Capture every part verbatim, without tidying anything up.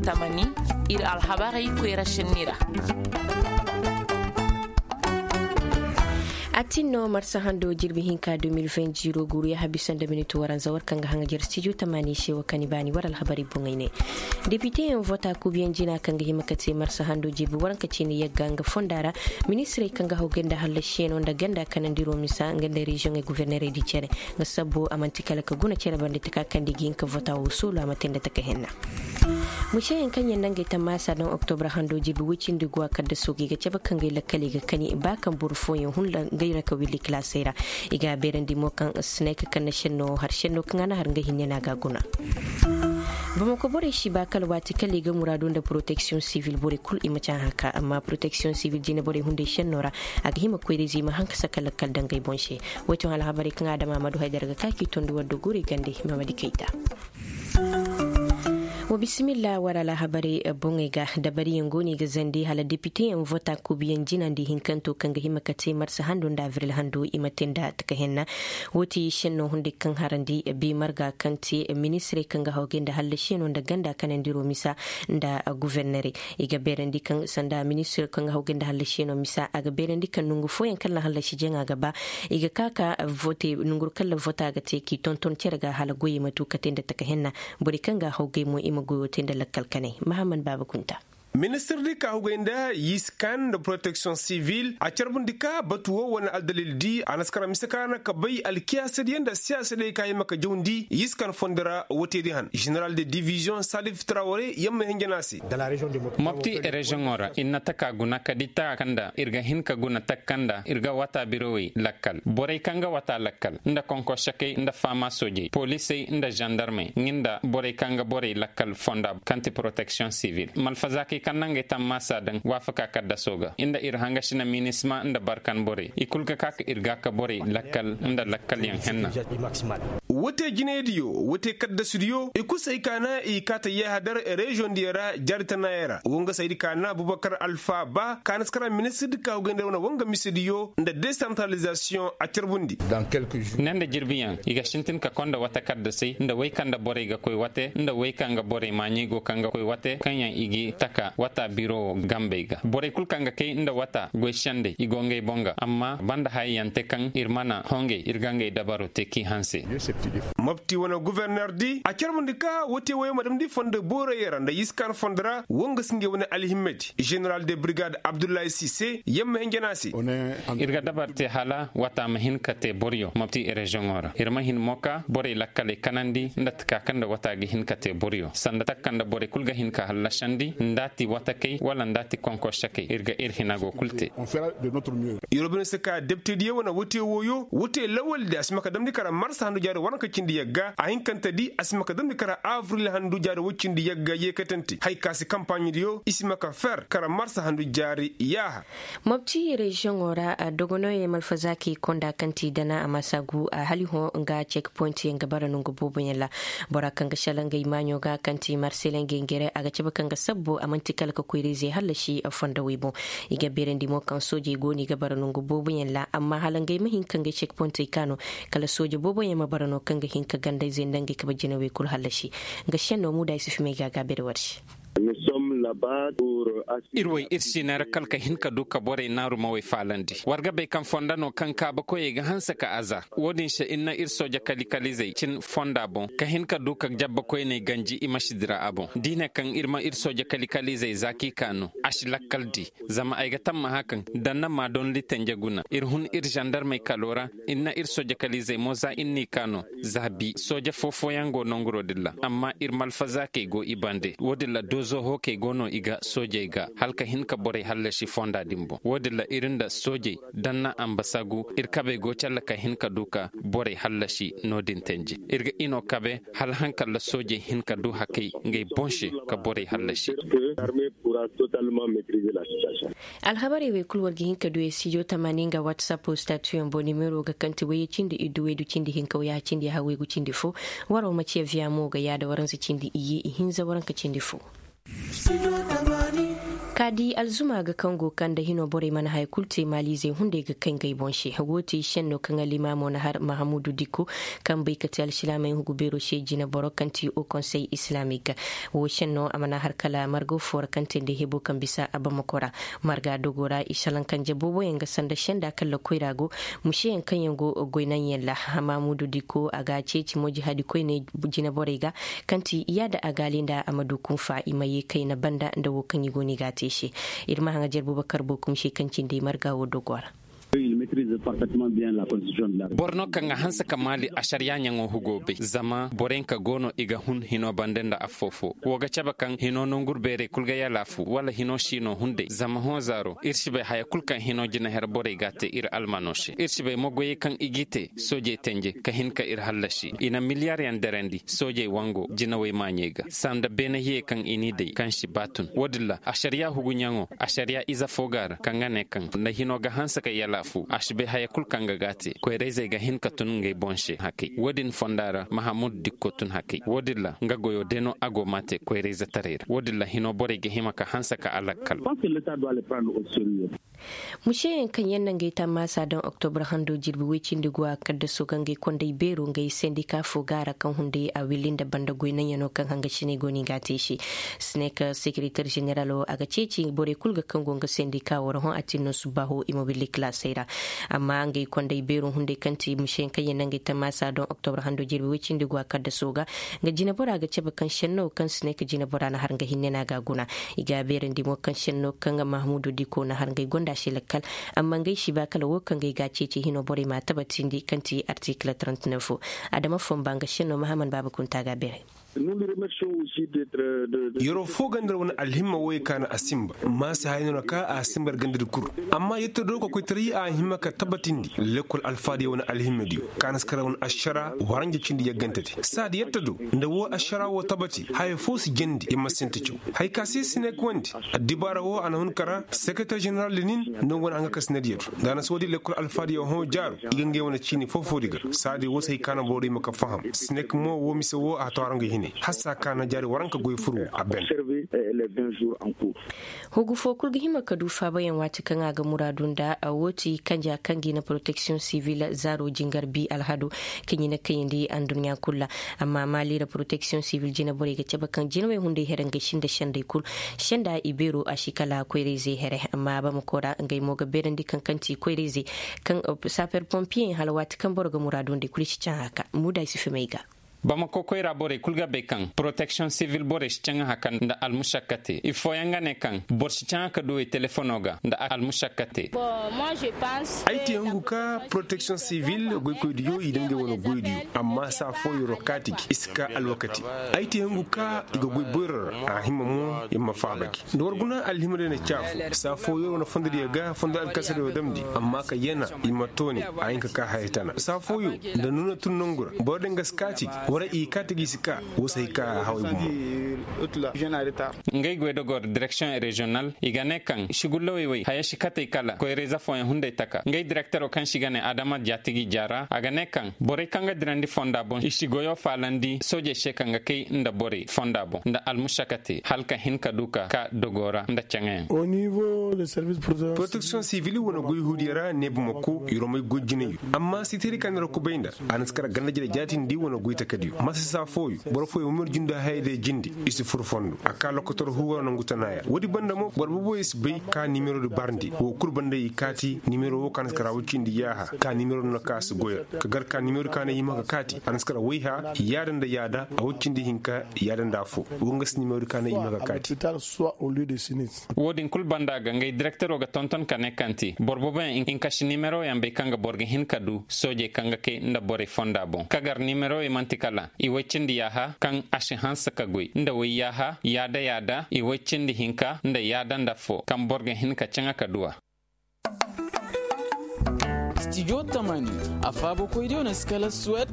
Tamani, ir alhabarey koyra senni ra. A tin no marsa hando jirbi hinka deux mille vingt ziro guru ya habi sanda minit waranza war kaŋ ga haŋa jere studio tamani se wo kani baani war alhabarey boŋey ne. Depiteyaŋ vota kuubiyaŋ jina kaŋ ga hima ka te marsa hando jirbi waranka ciini yagga nga fonda ra. Ministirey kaŋ ga hawgay nda hallasiyaŋo nda ganda kanandiro misa nga nda reziyoŋey guvernerey di cere. Nga sabbo a man'ti kala ka guna cere bande taka kaŋ da i ga hin ka vota wo soolu a ma te nda taka henna. Museyaŋ kaŋ yaŋ na ngey tammaasa daŋ oktobra hando jirbi woy cindi go a kaddaso ga i ga cabe ka ngey lakkaley ga kani ba kaŋ boro fooyaŋ hun ra ngey ra ka willi kilaasey ra. I ga a beerandi mo kaŋ sinay ka kanna senno har senno kaŋ a na har ngey hinne no a ga a guna. Bamako borey si ba kala waati kala i ga muraadu nda poroteksiyoŋ sivil borey kul i ma ci a haka amma poroteksiyoŋ sivil jine borey hunday senno ra. A ga hima koyra-ize i ma haŋ ka saka lakkal daŋ ngey boŋ se. Woy ti hõ alhabarey kaŋ adama ma du haydara ga ka k'i tondi war do guurey gande. Mamadi kayta. Wa bisimilla war alhabarey boŋey ga dabariyaŋ go no i ga zandi hala depiteyaŋ vota kuubiyaŋ jinandi hinkanto kaŋ ga hima ka te marsa hando nda avril hando i ma te nda taka henna. Wo ti senno hunday kaŋ harandi bi marga kaŋ te ministirey kaŋ ga hawgay nda hallasiyaŋo nda ganda kanandiro misa nda guvernerey. I ga beerandi kaŋ sanda ministirey kaŋ ga hawgay nda hallasiyaŋo misa a ga beerandi kaŋ nongu fooyaŋ kaŋ na hallasi jaŋa ga ba. I ga ka ka vote nonguru kaŋ ra vota ga te k'i tonton cere ga hala goyey ma tu ka te nda taka henna. Borey kaŋ ga a hawgay mo i ma goyo te nda lakkal kanay mahamman baaba kunta. Ministir di ka hawgay nda yiskan nda poroteksiyoŋ sivil a carbundi ka batu wo wane aldalil di a na si kara mise ka ra na ka bay alkiyaasadiyaŋ nda siyaasadiyaŋ ka hima ka jawndi yiskan fondo ra wote di han jeneral de diviziyoŋ salif traware yamma hinjana se. Mopti reziyoŋo ra ir na taka guna kadi taka kaŋ nda ir ga hin ka guna taka kaŋ nda ir ga wata birowey lakkal borey kaŋ ga wata lakkal nda konkosekey nda faama soojey polisey nda zandarmey nga nda borey kaŋ ga borey lakkal fonda kaŋ ti poroteksiyoŋ sivil malfazaakey kaŋ na ngey tammaasa daŋ waafaka kaddaso ga nda ir hangasi na minisma nda barkan borey i kul ga ka ka ir ga ka borey lakkal nda lakkalyaŋ henna. Wote jinaydiyo wote kaddasudiyo i kul se ay kaana i kaata yahadar reziyoŋ diyo ra jaari tanaayey ra wo nga se ay di kaana bubakar alfa ba kaana si kara ministir di ka hawgay nda wane wanga misediyo nda desantaralizasiyoŋ a carbundi. Ne nda jirbiyaŋ i ga sintin ka konda wate kaddasey nda wey kaŋ nda borey ga koy wate nda wey kaŋ ga borey maaɲey go kaŋ ga koy wate kaŋ yaŋ i ga taka wata biro wo gambey ga borey kul kaŋ ga kay nda wata goy sendey i go ngey boŋ ga amma banda hayey yaŋ te kaŋ ir mana hongey ir ga ngey dabaro te k'i hanse. Mopti wane guverner di a carbundi ka wote woyo ma damndi fondo boorayey ra nda yiskan fondo ra wo nga si ngey wane alhimmedi. Jeneral de brigade abdullahi sise yamma hinjana se. Ir ga dabar te hala wata ma hin ka te boryo mopti reziyoŋo ra ir ma hin mo ka borey lakkaley kanandi nda taka kaŋ nda wata ga hin ka te boryo sanda taka kaŋ nda borey kul ga hin ka hallasandi nda a ti watakey wala nda a ti konkosekey ir ga ir hina go kul te. Yoro bine si ka deptediyo wane wote woyo wote lawaldi a si ma ka damndi kara marsa handu jaari waranka cindi yagga a hinkantedi a si ma ka damndi kara avril handu jaari woy cindi yagga yeekatante hay ka se kampaaɲediyo i si ma ka fer kara marsa handu jaari yaaha. Mopti reziyoŋo ra dogonooyey malfazaakey konda kaŋ ti dana a ma saagu a hali hõ nga cek poyintiyaŋ ga bara nongu booboyaŋ ra. Bora kaŋ ga sala ngey maaɲo ga kaŋ ti marseley ngey ngere a ga cabe kaŋ ga sabbu a man'ti kala ka koyra-izey hallasi fondo wey boŋ. I ga beerandi mo kaŋ soojey go no i ga bara nongu booboyaŋ ra amma hala ngey ma hin ka ngey cek poyintey kaanu kala sooje booboyaŋ ma bara no kaŋ ga hin ka ganda-izey nda ngey kabe jinawey kul hallasi. Nga senno muuda ay si fimey ga a ga a beeri war se. Ir woy ir si neera kala ka hin ka du ka borey naarumawey faalandi war ga bay kaŋ fonda no kaŋ kaabakoyey ga hanse ka aza. Wo-din se ir na ir sooja kalikalizey cin fonda boŋ ka hin ka du ka jabbakoyney ganji i ma si dira a boŋ da i ne kaŋ ir ma ir sooja kalikalizey za k'i kaanu a si lakkal di. Zama ay ga tammaha kaŋ da na ma dondi tenje guna ir hun ir zandarmey kalo ra. Ir na ir sooja kalizey mo za ir n'i kaanu za bi sooja foo-fooyaŋ go nanguro din ra amma ir malfazaakey go i bande wo-din ra doozo hookey go no i ga soojey ga hala ka hin ka borey hallasi fonda din boŋ wo-din ra ir nda soojey da na ambasagu ir kabey go calla ka hin ka du ka borey hallasi no-din tenje ir ga ino kabe hala hankalla soojey hin ka du hakey ngey boŋ se ka borey hallasi. Alhabarey wey kul war ga hin ka du e studio tamaani nga whatsapp statuyaŋ boŋ nimero ga kaŋ ti wayye cindi iddu waydu cindi hinka wayye cindi ha waygu cindi fo. Waro ma ciya viya mo ga yaada waranza cindi iyye ihinza waranka cindi fo. Ka di alzuma ga kaŋ go kaŋ nda hino borey mana haya kulu te maaliizey hunday ga kay ngey boŋ se. Wo ti senno kaŋ alimaamo na har mahamudu dikko, kaŋ bay ka te alsilaamey hugu beero se jinaboro kaŋ ti o konsey islamik. Wo senno a mana har kala margo fo ra kaŋ te nda hebo kaŋ bisa a bamako ra. Marga dogo ra i salaŋ kanje booboyaŋ ga sanda senda kaŋ lakoy ra go. Museyaŋ kaŋ yaŋ go goy naŋ yaŋ ra. Mahamudu dikko a ga a ceeci mo jihaadi koyne jinaborey ga, kaŋ ti yaada agaali nda a ma du kunfa i ma ye kayna banda nda wo kaŋ i go no i ga a te se. Ir ma haŋajer bubakar bokum se kaŋ cindi marga wo dogo ra. Boro no kaŋ ga hanse ka maali ašariya ɲaŋo hugo bay zama boroyaŋ ka go no i ga hun hino bande nda affoo foo wo ga cabe kaŋ hino nonguru beerey kul ga yalaafu wala hino si no hunday zama hõ zaaro ir si bay haya kul kaŋ hino jinaher borey ga a te ir almano se ir si bay mogoyey kaŋ i g'i te soojey tenje ka hin ka ir hallasi i na miliyaryaŋ derandi soojey wango jinawey maaɲey ga sanda beene hiyey kaŋ i n'i day kaŋ si ba tun wo-din ra ašariya huguɲaŋo ašariya ize fo ga a ra kaŋ ga ne kaŋ nda hino ga hanse ka yalaafu a si bay haya kul kaŋ ga g'a te koyra-izey ga hin ka tun ngey boŋ se hakay wo-din fonda ra mahamud dikko tun hakay wo-din ra nga goyo day no a go m'a te koyra-izetaray ra wo-din ra hino borey ga hima ka hanse ka a lakkal. Museyaŋ kaŋ yaŋ na ngey tammaasa daŋ oktobra hando jirbi woy cindi go a kaddaso ga ngey kondey beero ngey sendika fo ga a ra kaŋ hunday a willi nda banda goy naŋ yaŋ no kaŋ hangasiney go no i ga a te i se. Sinek sekereter ženeral wo a ga ceeci borey kul ga kaŋ go nga sendika wo ra hõ a tin no subbaaho i ma willi kalaasey ra. Amma ngey kondey beero hunday kaŋ ti museyaŋ kaŋ yaŋ na ngey tammaasa daŋ oktobra hando jirbi woy cindi go a kaddaso ga nga jinabora ga cabe kaŋ senno kaŋ sinek jinabora na har nga hinne no a ga a guna. I ga a beerandi mo kaŋ senno kaŋ mahamudu diko na har ngey gonda se lakkal. Amma ngey si ba kala wo kaŋ ngey ga a ceeci hino borey m'a tabatindi kaŋ ti artikil trente-neuf. Adama fomba nga senno mahaman baaba kunta ga a beeray. Yeroo fo ganda ra wane alhimma woyey ka na a simba maasa hayno na ka a simba ra ganda di kul. Amma yetta do kokoytaray a hima ka tabatindi lekkol alfaadiyo wane alhimmadiyo ka na si kara wane ašara waranja cindi yaggante di saadi yetta do nda woo ašara woo tabati haya foo si jandi i ma sinti caw. Hay ka se si ne ka wandi addibaara woo a na hun kara sekereter ženeral di nin nda nga wane a nga ka si ne diya do nda a na si woodi lekkol alfaadiyo hõ jaaru i ga ngey wane ciini foo-foo di ga saadi woo si hay ka na boro di ma ka faham si ne ka mo woo mise woo a tawara nga hine hassa ka na jaari waranka goy fur woo a ben. Hugu foo kul ga hima ka du faabayaŋ waati kaŋ a ga muraadu nda a woo ti kanja kaŋ ga i na poroteksiyoŋ sivil zaaro jingar bi alhado kaŋ i na kayandi anduɲɲa kul ra. Amma maali ra poroteksiyoŋ sivil jinaborey ga cabe kaŋ jinawey hunday here ngey sinda sendey kul senda i beero a si kala koyra-izey here amma a bamako ra ngey mo ga beerandi kaŋ kaŋ ti koyra-izey kaŋ saper pompiyeyaŋ hala waati kaŋ boro ga muraadu nda i kul i si caŋ haka muuda i si fimay ga. Bamako koyra borey kul ga bay kaŋ poroteksiyoŋ sivil borey si caŋ haka nda almušakkate i fooyaŋ ga ne kaŋ boro si caŋ haka duwey telefono ga nda almušakkate. Ay te hungu ka poroteksiyoŋ sivil goykoydiyo i daŋ ngey wane goydiyo amma saa fooyoo kaati gi i si ka alwakati. Ay te hungu ka i ga goy boyro ra a hima mo i ma faaba gi nda war guna alhima day na caafu saa fooyoo wane fondodiyo ga fondo alkasariyo damndi amma ka yana i ma tooni a hin ka ka haya tana saa fooyoo nda nuuna tun nongu ra boro din ga si kaati gi wara i kaati gi si ka woo si hay ka haway gumo. Ngey goydogor direksiyoŋ reziyonal i ga ne kaŋ sigullawey wey haya si katey kala koyra-ize fooyaŋ hunday taka ngey direktero kaŋ se i ga ne adama jaatigi jaara a ga ne kaŋ borey kaŋ ga dirandi fonda boŋ i si goyo faalandi soojey se kaŋ ga kay nda borey fonda boŋ nda almušakate hala ka hin ka du ka ka dogo ra nda caŋayaŋ. Poroteksiyoŋ sivil wane goy huudiyo ra ne bamako i romey goy jinayo amma sitiri kaŋ ni ra kubay nda a na si kara ganda jire jaatindi wane goy takadiyo masa saa fooyo boro fooyo ma mir junda hayadiyo jindi i si fur fondo a ka lokotor huuwara nongu tana ya woodi banda mo boro booboyo si bay ka nimero di barndi wo kul banda i kaati nimero wo ka na si kara woy cindi yaaha ka nimero di na ka si goyra ka gar ka nimero di ka na hima ka kaati a na si kara wayha yaada nda yaada a woy cindi hinka yaada nda affoo wo nga si nimero di ka na hima ka kaati. Wo-din kul banda ga ngey direktero ga tonton ka ne kaŋ ti boro booboyaŋ i nka si nimeroyaŋ bay kaŋ ga boro ga hin ka du soojey kaŋ ga kay nda borey fonda boŋ ka gar nimerowey man'ti kala i woy cindi yaaha kaŋ a si hanse ka goy nda woy yaaha yaada yaada i woy cindi hinka nda yaada nda affoo kaŋ boro ga hin ka caŋa ka du a. Stijo tamani a faabakoydiyo na si kala suwed,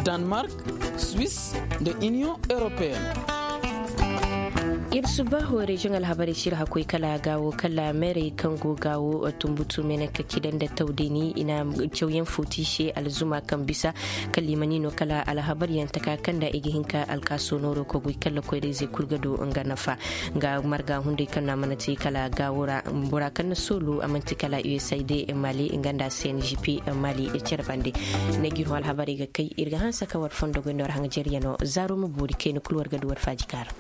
danmark, swis, nda iniyoŋ europeyen. Ir subaho reziyoŋ alhabarey si ir hakkoy kala gaawo kala meerey kaŋ go gaawo tumbutu meeney ka kida nda tawdeni i na cawyaŋ fo ti i se alzuma kaŋ bisa kala i ma ni no kala alhabaryaŋ taka kaŋ nda i ga hin ka alkaaso nooro ka goy kala koyrayzey kul ga du nga nafa. Nga marga hunday kaŋ no a mana te kala gaawo ra. Bora kaŋ na soolu a mana te kala usaid mali nga nda cngp mali cere bande. Ne ga ir hõ alhabarey ga kay ir ga hanse ka war fondo goy nda war haŋ jeryanoo zaaro ma boori kayna kul war ga du war faaji kaara.